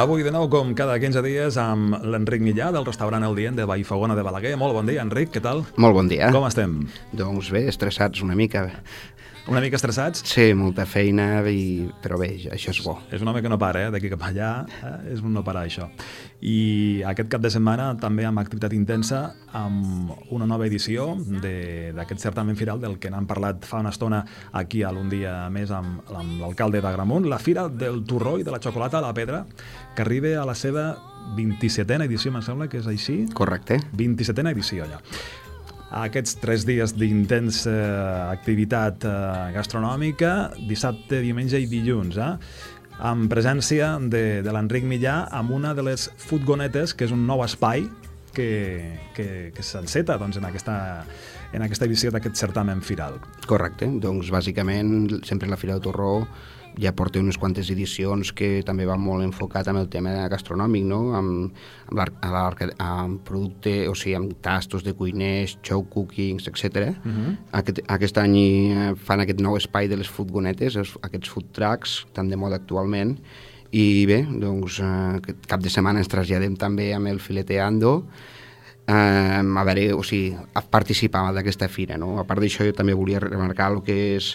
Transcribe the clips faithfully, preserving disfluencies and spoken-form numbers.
Avui de nou, com cada quinze dies, amb l'Enric Millà, del restaurant El Dient de Vallfogona de Balaguer. Molt bon dia, Enric, què tal? Molt bon dia. Com estem? Doncs bé, estressats una mica. Una mica estressats? Sí, molta feina, i... però bé, això és bo. És un home que no para, eh? D'aquí cap allà, eh? És un no parar, això. I aquest cap de setmana també amb activitat intensa, amb una nova edició d'aquest certamen firal del que n'hem parlat fa una estona aquí a l'Un dia més amb, amb l'alcalde d'Agramunt, la Fira del Torró i de la Xocolata a la Pedra, que arriba a la seva vint-i-setena edició, em sembla que és així? Correcte. vint-i-setena edició, ja. Aquests tres dies d'intensa activitat eh, gastronòmica, dissabte, diumenge i dilluns, eh? amb presència de, de l'Enric Millà amb una de les furgonetes, que és un nou espai que, que, que s'enceta doncs, en, aquesta, en aquesta edició d'aquest certamen firal. Correcte, doncs bàsicament sempre la Fira del Torró ja porta unes quantes edicions que també va molt enfocat amb el tema gastronòmic, no? amb, amb, amb producte, o sigui, amb tastos de cuiners, show cookings, etcètera. Uh-huh. Aquest, aquest any fan aquest nou espai de les furgonetes, aquests food trucks, tan de moda actualment, i bé, doncs aquest cap de setmana ens traslladem també amb el Fileteando, eh, a veure, o sigui, a participar d'aquesta fira, no? A part d'això, jo també volia remarcar el que és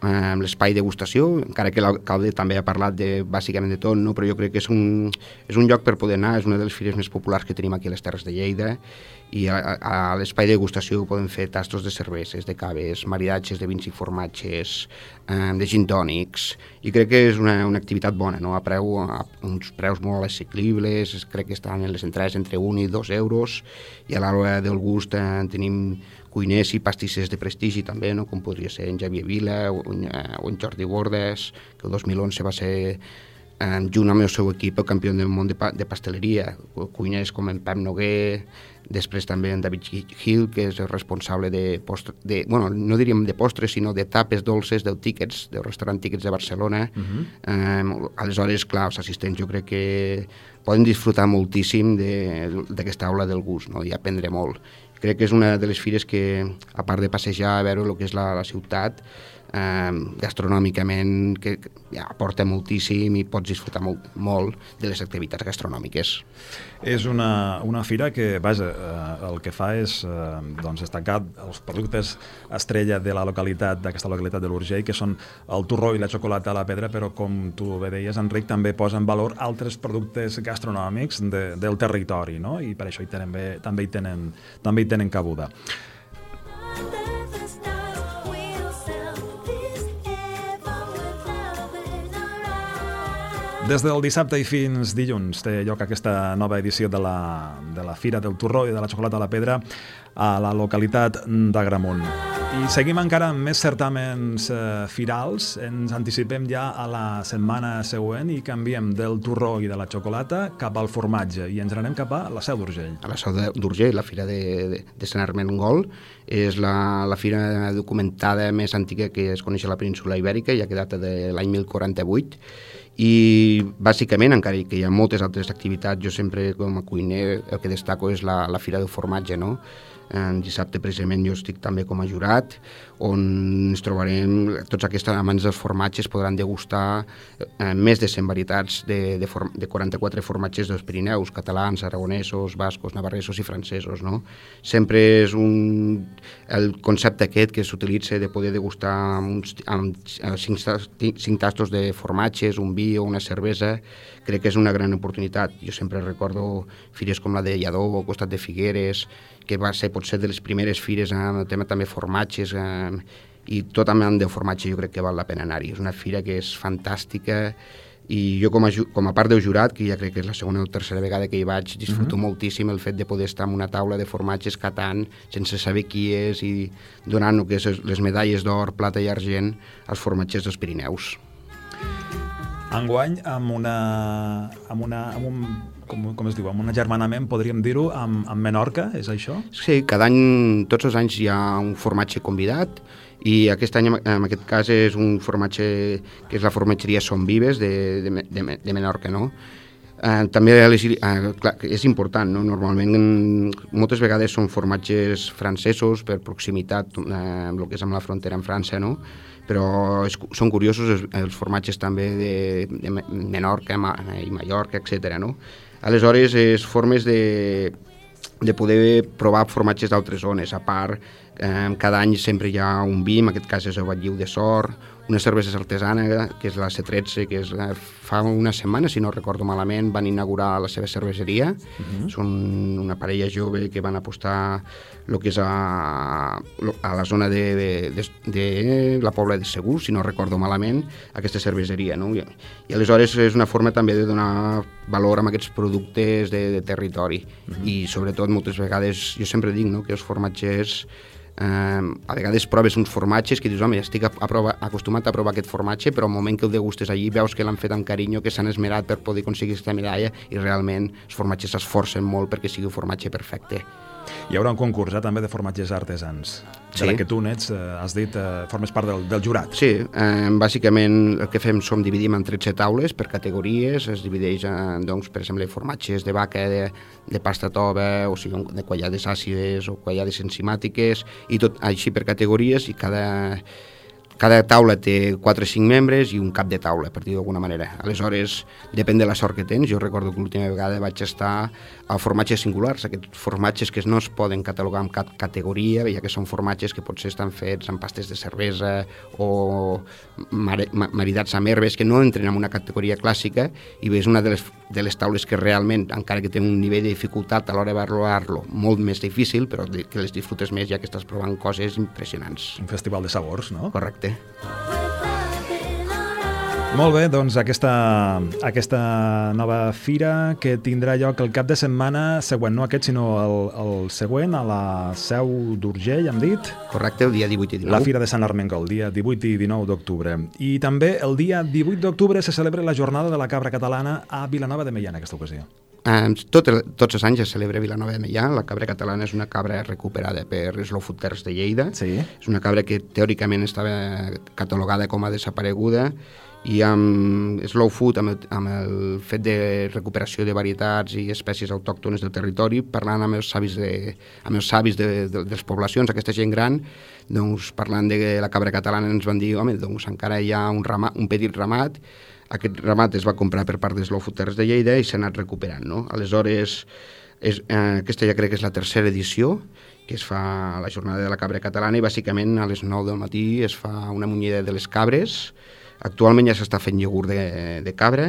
amb l'espai degustació, encara que l'alcalde també ha parlat de, bàsicament de tot, no? Però jo crec que és un, és un lloc per poder anar, és una de les fires més populars que tenim aquí a les Terres de Lleida, i a, a, a l'espai de degustació podem fer tastos de cerveses, de caves, maridatges de vins i formatges, eh, de gin tònics, i crec que és una, una activitat bona, no? A, preu, a uns preus molt assequibles, crec que estan en les entrades entre un i dos euros, i a l'hora del gust eh, tenim cuiners i pastissers de prestigi també, no? Com podria ser en Xavier Vila o en, o en Jordi Bordes, que el dos mil onze va ser, eh, junt amb el seu equip, el campió del món de, pa, de pasteleria. Cuiners com en Pep Noguer, després també en David Hill, que és el responsable de postre, de, bueno, no diríem de postres, sinó de tapes dolces del Tickets, del restaurant Tickets de Barcelona. Uh-huh. eh, aleshores, clar, els assistents jo crec que poden disfrutar moltíssim d'aquesta aula del gust, no? I aprendre molt. Crec que és una de les fires que, a part de passejar a veure el que és la, la ciutat, eh, gastronòmicament que, que ja, aporta moltíssim i pots disfrutar molt, molt de les activitats gastronòmiques. És una, una fira que, vaja, eh, el que fa és eh, doncs, destacar els productes estrella de la localitat, d'aquesta localitat de l'Urgell, que són el torró i la xocolata a la pedra, però com tu bé deies, Enric, també posa en valor altres productes gastronòmics de, del territori, no? I per això hi tenen bé, també hi tenen, també hi tenen cabuda. Des del dissabte i fins dilluns té lloc aquesta nova edició de la, de la Fira del Torró i de la Xocolata a la Pedra a la localitat d'Agramunt. I seguim encara amb més certàmens eh, firals. Ens anticipem ja a la setmana següent i canviem del torró i de la xocolata cap al formatge i ens anem cap a la Seu d'Urgell. A la Seu d'Urgell, la Fira de, de, de Sant Ermengol, és la, la fira documentada més antiga que es coneix a la península Ibèrica, ja que data de l'any mil quaranta-vuit, i bàsicament, encara que hi ha moltes altres activitats, jo sempre com a cuiner el que destaco és la, la Fira del Formatge, no? En dissabte precisament jo estic també com a jurat, on ens trobarem, tots aquests amants dels formatges podran degustar eh, més de cent varietats de, de, form, de quaranta-quatre formatges dels Pirineus, catalans, aragonesos, bascos, navarresos i francesos, no? Sempre és un, el concepte aquest que s'utilitza de poder degustar amb, uns, amb cinc, cinc tastos de formatges, un vi o una cervesa, crec que és una gran oportunitat. Jo sempre recordo fires com la de Lledó, al costat de Figueres, que va ser potser de les primeres fires amb el tema també formatges, eh, i tot amb el formatge jo crec que val la pena anar-hi. És una fira que és fantàstica i jo com a, com a part del jurat, que ja crec que és la segona o tercera vegada que hi vaig, disfruto uh-huh. moltíssim el fet de poder estar en una taula de formatges catant sense saber qui és i donant el que és les medalles d'or, plata i argent als formatgers dels Pirineus. Enguany, amb una, amb una, amb un, com, com es diu, amb un agermanament, podríem dir-ho, amb, amb Menorca, és això? Sí, cada any, tots els anys hi ha un formatge convidat, i aquest any, en aquest cas, és un formatge que és la formatgeria Son Vives de, de, de, de Menorca, no? Eh, també eh, clar, és important, no? Normalment moltes vegades són formatges francesos per proximitat, eh, el que és amb la frontera amb França, no? però és, són curiosos els, els formatges també de, de Menorca i Mallorca, etcètera, no? Aleshores, és formes de, de poder provar formatges d'altres zones. A part, eh, cada any sempre hi ha un vi, en aquest cas és el Batlliu de Sort, una cervesa artesana, que és la C tretze, que és la, fa una setmana, si no recordo malament, van inaugurar la seva cerveseria. Uh-huh. Són una parella jove que van apostar el que és a, a la zona de, de, de, de la Pobla de Segur, si no recordo malament, aquesta cerveseria, no? I, i aleshores és una forma també de donar valor a aquests productes de, de territori. Uh-huh. I sobretot moltes vegades, jo sempre dic, no?, que els formatgers Uh, a vegades proves uns formatges que dius, home, estic a, a prova, acostumat a provar aquest formatge, però al moment que el degustes allí veus que l'han fet amb carinyo, que s'han esmerat per poder aconseguir aquesta medalla, i realment els formatges s'esforcen molt perquè sigui un formatge perfecte. Hi haurà un concurs eh, també de formatges artesans, de sí. la que tu n'ets, eh, has dit, eh, formes part del, del jurat. Sí, eh, bàsicament el que fem som dividim en tretze taules per categories, es divideix en, doncs, per exemple, formatges de vaca, de, de pasta tova, o sigui, de quallades àcides o quallades enzimàtiques, i tot així per categories, i cada... Cada taula té quatre o cinc membres i un cap de taula, per dir d'alguna manera. Aleshores, depèn de la sort que tens. Jo recordo que l'última vegada vaig estar a formatges singulars, aquests formatges que no es poden catalogar en cap categoria, ja que són formatges que potser estan fets amb pastes de cervesa o maridats amb herbes, que no entren en una categoria clàssica, i és una de les, de les taules que realment, encara que té un nivell de dificultat a l'hora de valorar-lo molt més difícil, però que les disfrutes més ja que estàs provant coses impressionants. Un festival de sabors, no? Correcte. Molt bé, doncs aquesta, aquesta nova fira que tindrà lloc el cap de setmana següent, no aquest, sinó el, el següent, a la Seu d'Urgell, hem dit? Correcte, el dia divuit i dinou. La Fira de Sant Armengol, dia divuit i dinou d'octubre. I també el dia divuit d'octubre se celebra la Jornada de la Cabra Catalana a Vilanova de Meià en aquesta ocasió. Um, tot el, tots els anys es celebra a Vilanova de Meià. La cabra catalana és una cabra recuperada per Slow Food Terres de Lleida. Sí. És una cabra que teòricament estava catalogada com a desapareguda, i amb Slow Food, amb el, amb el fet de recuperació de varietats i espècies autòctones del territori, parlant amb els savis de, amb els savis de, de, de les poblacions, aquesta gent gran, doncs parlant de la cabra catalana ens van dir, home, doncs encara hi ha un, ramat, un petit ramat. Aquest ramat es va comprar per part de Slow Food Terres de Lleida i s'ha anat recuperant, no? Aleshores, és, eh, aquesta ja crec que és la tercera edició que es fa a la Jornada de la Cabra Catalana, i bàsicament a les nou del matí es fa una munyida de les cabres. Actualment ja s'està fent iogurt de, de cabra,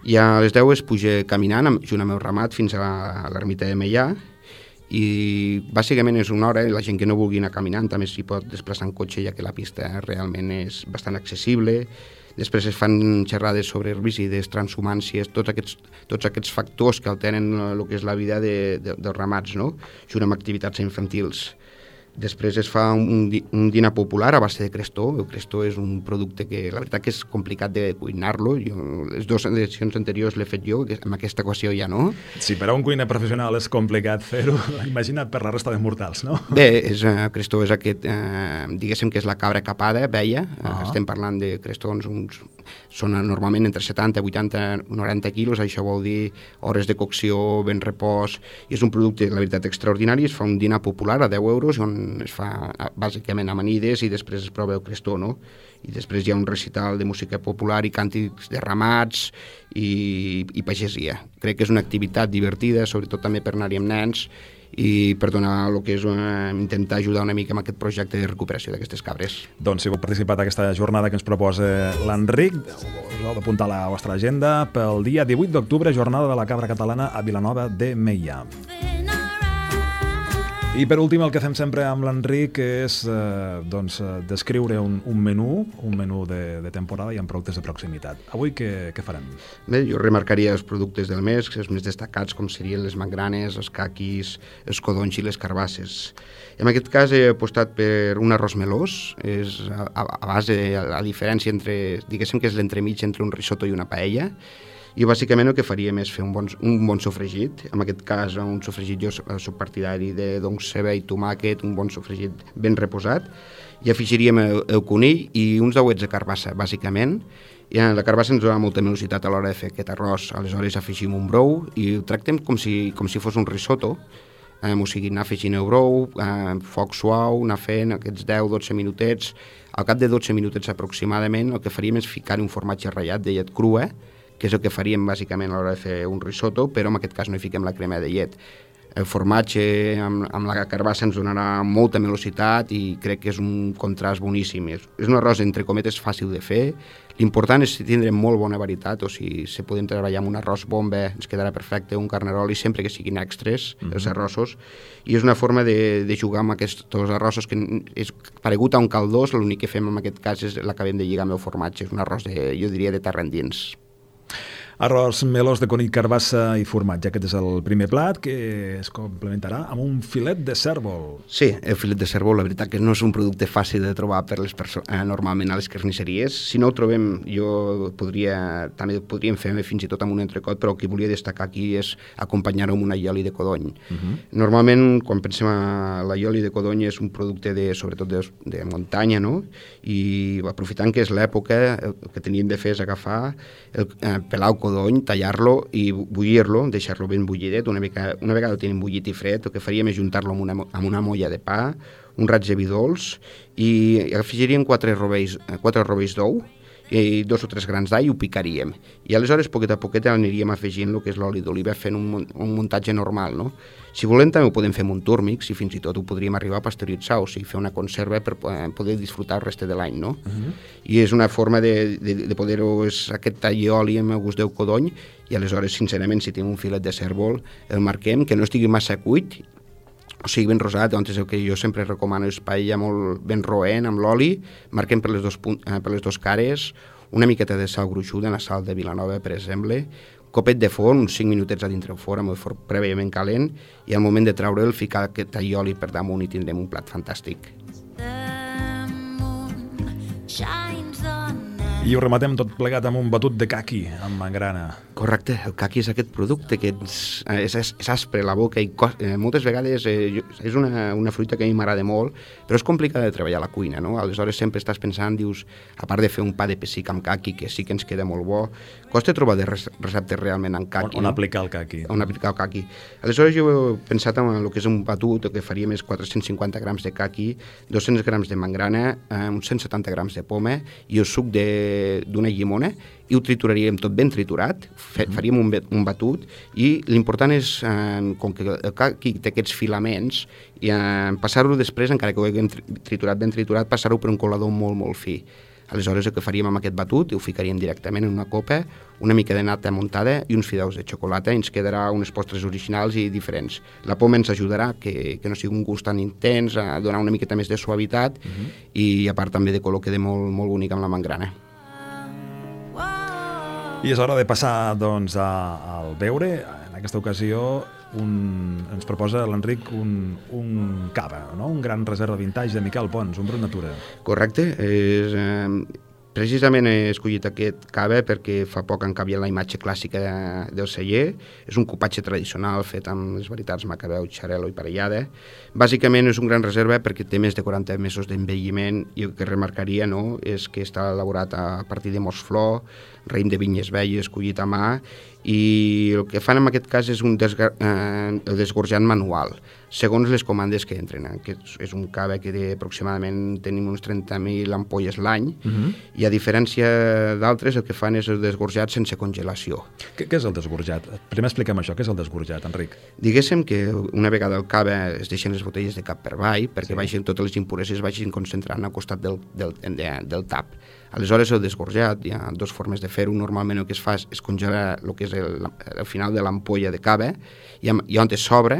i a les deu es puja caminant amb, junt amb el ramat fins a l'ermita de Meià, i bàsicament és una hora, i la gent que no vulgui anar caminant també s'hi pot desplaçar en cotxe, ja que la pista realment és bastant accessible. Després es fan xerrades sobre herbicides, transhumàncies, tots aquests, tots aquests factors que alteren el que és la vida de, de, dels ramats, no? Junt amb activitats infantils. Després es fa un, un dinar popular a base de crestó. El crestó és un producte que la veritat que és complicat de cuinar-lo. Jo, les dues edicions anteriors l'he fet jo, en aquesta equació ja no. Sí, per a un cuiner professional és complicat fer-ho, imagina't per la resta de mortals, no? Bé, és, uh, crestó és aquest, uh, diguéssim que és la cabra capada, veia. Uh, uh-huh. Estem parlant de crestons, uns, són normalment entre setanta, vuitanta, noranta quilos, això vol dir hores de cocció, ben repòs, i és un producte, la veritat, extraordinari. Es fa un dinar popular a deu euros, on es fa bàsicament amanides i després es prova el crestó, no? I després hi ha un recital de música popular i càntics de ramats i, i pagesia. Crec que és una activitat divertida, sobretot també per anar-hi amb nens i per donar el que és una, intentar ajudar una mica amb aquest projecte de recuperació d'aquestes cabres. Doncs si heu participat d'aquesta jornada que ens proposa l'Enric, us heu d'apuntar a la vostra agenda pel dia divuit d'octubre, Jornada de la Cabra Catalana a Vilanova de Meià. I per últim el que fem sempre amb l'Enric és eh, doncs, descriure un, un menú, un menú de, de temporada i amb productes de proximitat. Avui què, què farem? Bé, jo remarcaria els productes del mes, els més destacats com serien les magranes, els caquis, els codonys i les carbasses. En aquest cas he apostat per un arròs melós, és a, a base, a, a diferència entre, diguéssim que és l'entremig entre un risotto i una paella. I bàsicament el que faríem és fer un bon, un bon sofregit. En aquest cas, un sofregit jo soc partidari de doncs, ceba i tomàquet, un bon sofregit ben reposat. I afegiríem el, el conill i uns dauets de carbassa, bàsicament. I la carbassa ens dona molta velocitat a l'hora de fer aquest arròs. Aleshores afegim un brou i ho tractem com si, com si fos un risotto. eh, o sigui, anar afegint el brou, eh, foc suau, anar fent aquests deu a dotze minutets. Al cap de dotze minutets aproximadament el que faríem és ficar un formatge ratllat de llet crua, que és el que faríem bàsicament a l'hora de fer un risotto, però en aquest cas no hi fiquem la crema de llet. El formatge amb, amb la carbassa ens donarà molta velocitat i crec que és un contrast boníssim. És, és un arròs, entre cometes, fàcil de fer. L'important és tindre molt bona varietat, o sigui, si podem treballar amb un arròs bomba ens quedarà perfecte, un carnaroli, sempre que siguin extres, mm-hmm. els arrossos, i és una forma de, de jugar amb aquests arrossos que és paregut a un caldós, l'únic que fem en aquest cas és l'acabem de lligar amb el formatge, és un arròs, de, jo diria, de terra endins. Arròs melós de conill, carbassa i formatge. Aquest és el primer plat que es complementarà amb un filet de cèrvol. Sí, el filet de cèrvol, la veritat que no és un producte fàcil de trobar per les perso- eh, normalment a les carnisseries. Si no ho trobem, jo podria, també podríem fer fins i tot amb un entrecot, però el que volia destacar aquí és acompanyar-ho amb una aioli de codony. Uh-huh. Normalment, quan pensem a l'aioli de codony, és un producte de, sobretot de, de muntanya, no? I aprofitant que és l'època, el que teníem de fer és agafar, el, eh, pelar el codony, tallar-lo i bullir-lo, deixar-lo ben bullidet. Una, mica, una vegada el tenim bullit i fred, el que faríem és juntar-lo amb una, amb una molla de pa, un raig de vi dolç, i afegiríem quatre rovells, quatre rovells d'ou i dos o tres grans d'all i ho picaríem. I aleshores, poquet a poquet, aniríem afegint el que és l'oli d'oliva, fent un, un muntatge normal, no? Si volem, també ho podem fer amb un túrmix i fins i tot ho podríem arribar a pasteuritzar, o sigui, fer una conserva per poder disfrutar el reste de l'any, no? Uh-huh. I és una forma de, de, de poder-ho, és aquest tall-oli amb el gust del codony, i aleshores, sincerament, si tenim un filet de cèrvol, el marquem, que no estigui massa cuit, o sigui, ben rosat. Llavors el que jo sempre recomano és paella molt ben roent amb l'oli, marquem per les, dos punt, eh, per les dos cares, una miqueta de sal gruixuda, la sal de Vilanova, per exemple, copet de forn, uns cinc minutets a dintre el forn, amb el forn prèviament calent, i al moment de treure'l, ficar aquest aioli per damunt i tindrem un plat fantàstic. I ho rematem tot plegat amb un batut de caqui, amb mangrana. Correcte, el caqui és aquest producte que és, és, és aspre a la boca i cos, eh, moltes vegades eh, és una, una fruita que a mi m'agrada molt, però és complicada de treballar a la cuina, no? Aleshores sempre estàs pensant, dius, a part de fer un pa de pessic amb caqui, que sí que ens queda molt bo, costa trobar de receptes realment en caqui. On, on no? aplicar el caqui. On aplicar el caqui. Aleshores jo he pensat en el que és un batut, el que faríem és quatre-cents cinquanta grams de caqui, dos-cents grams de mangrana, eh, uns cent setanta grams de poma i el suc de d'una llimona, i ho trituraríem tot ben triturat, faríem un, un batut, i l'important és, eh, com que el caqui té aquests filaments, i eh, passar-ho després, encara que ho haguem triturat ben triturat, passar-ho per un colador molt, molt fi. Aleshores el que faríem amb aquest batut, ho ficaríem directament en una copa, una mica de nata muntada i uns fideus de xocolata, i ens quedarà unes postres originals i diferents. La poma ens ajudarà que, que no sigui un gust tan intens, a donar una miqueta més de suavitat, uh-huh. i a part també de color queda molt, molt bonic amb la mangrana. I és hora de passar, doncs, a, al beure. En aquesta ocasió un, ens proposa l'Enric un, un cava, no? Un gran reserva vintage de Miquel Pons, un brut natura. Correcte. És, eh, precisament he escollit aquest cava perquè fa poc han canviat la imatge clàssica de, del celler. És un cupatge tradicional fet amb les varietats Macabeu, Xarel·lo i Parellada. Bàsicament és un gran reserva perquè té més de quaranta mesos d'envelliment, i el que remarcaria, no, és que està elaborat a partir de mosflor, raïm de vinyes velles collit a mà, i el que fan en aquest cas és un desga, eh, el desgorjant manual, segons les comandes que entren. Aquest és un cava que té, aproximadament tenim uns trenta mil ampolles l'any, uh-huh. i a diferència d'altres el que fan és el desgorjat sense congelació. Què, què és el desgorjat? Primer expliquem això, què és el desgorjat, Enric? Diguéssim que una vegada el cava es deixen les botelles de cap per avall, perquè sí. vagin, totes les impureses vagin concentrant al costat del, del, de, del tap. Aleshores el desgorjat, hi ha dues formes de fer-ho. Normalment el que es fa és congelar el que és el, el final de l'ampolla de cava, i, i on es sobra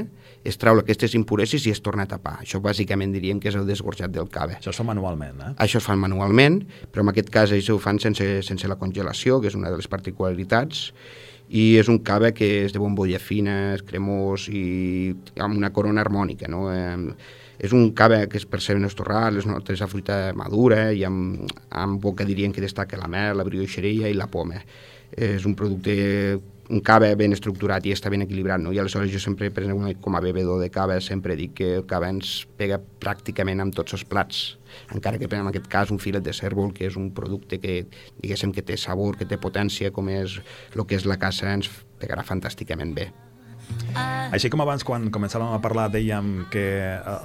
es treu aquestes impureses i es torna a tapar. Això bàsicament diríem que és el desgorjat del cava. Això es fa manualment, eh? Això es fa manualment, però en aquest cas això ho fan sense, sense la congelació, que és una de les particularitats, i és un cava que és de bombolla fina, és cremós i amb una corona harmònica, no? Eh, és un cava que es perceben els torrats, les notes de fruita madura, i amb, amb boca diríem que destaca la mel, la brioixeria i la poma. És un producte, un cava ben estructurat i està ben equilibrat, no? I aleshores jo sempre, per exemple, com a bevedor de cava, sempre dic que el cava ens pega pràcticament amb tots els plats, encara que en aquest cas un filet de cèrvol, que és un producte que, diguéssim, que té sabor, que té potència, com és el que és la caça, ens pegarà fantàsticament bé. Així com abans, quan començàvem a parlar, dèiem que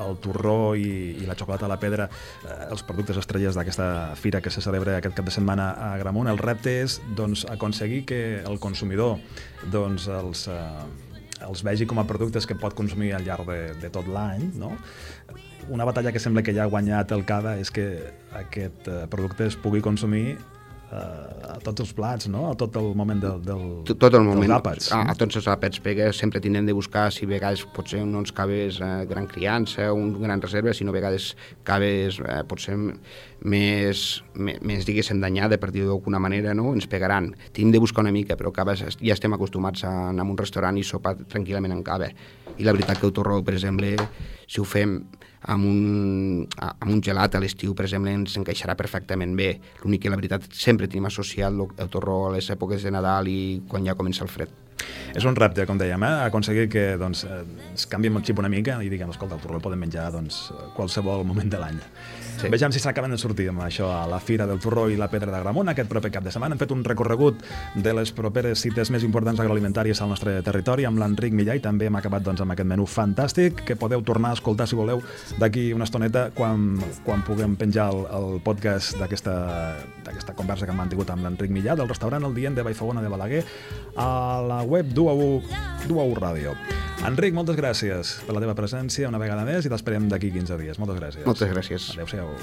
el torró i, i la xocolata a la pedra, eh, els productes estrelles d'aquesta fira que se celebra aquest cap de setmana a Agramunt, el repte és doncs, aconseguir que el consumidor doncs, els, eh, els vegi com a productes que pot consumir al llarg de, de tot l'any, no? Una batalla que sembla que ja ha guanyat el Cava és que aquest eh, producte es pugui consumir a tots els plats, no? A tot el moment del, del, tot el moment, dels àpats. A, a tots els àpats, perquè sempre tindrem de buscar si a vegades potser no ens caves eh, gran criança, un gran reserva, sinó a vegades caves eh, potser més, més, més diguéssim, danyada per dir-ho d'alguna manera, no? Ens pegaran. Tenim de buscar una mica, però caves, ja estem acostumats a anar a un restaurant i sopar tranquil·lament en cava. I la veritat que el torró, per exemple, si ho fem amb un, amb un gelat a l'estiu, per exemple, ens encaixarà perfectament bé. L'únic que la veritat sempre tenim associat el torró a les èpoques de Nadal i quan ja comença el fred. És un repte, com dèiem, eh? Aconseguir que doncs, es canvi el xip una mica i diguem, escolta, el torró el podem menjar doncs, qualsevol moment de l'any. Sí. Vejam si s'acaben de sortir amb això a la Fira del Torró i la Pedra d'Agramunt aquest proper cap de setmana. Hem fet un recorregut de les properes cites més importants agroalimentàries al nostre territori amb l'Enric Millà i també hem acabat doncs, amb aquest menú fantàstic que podeu tornar a escoltar, si voleu, d'aquí una estoneta quan, quan puguem penjar el, el podcast d'aquesta conversa que hem mantingut amb l'Enric Millà del restaurant El Dient de Vallfogona de Balaguer a la web d'u a u Ràdio. Enric, moltes gràcies per la teva presència una vegada més i t'esperem d'aquí quinze dies. Moltes gràcies. Moltes gràcies. Adéu-siau.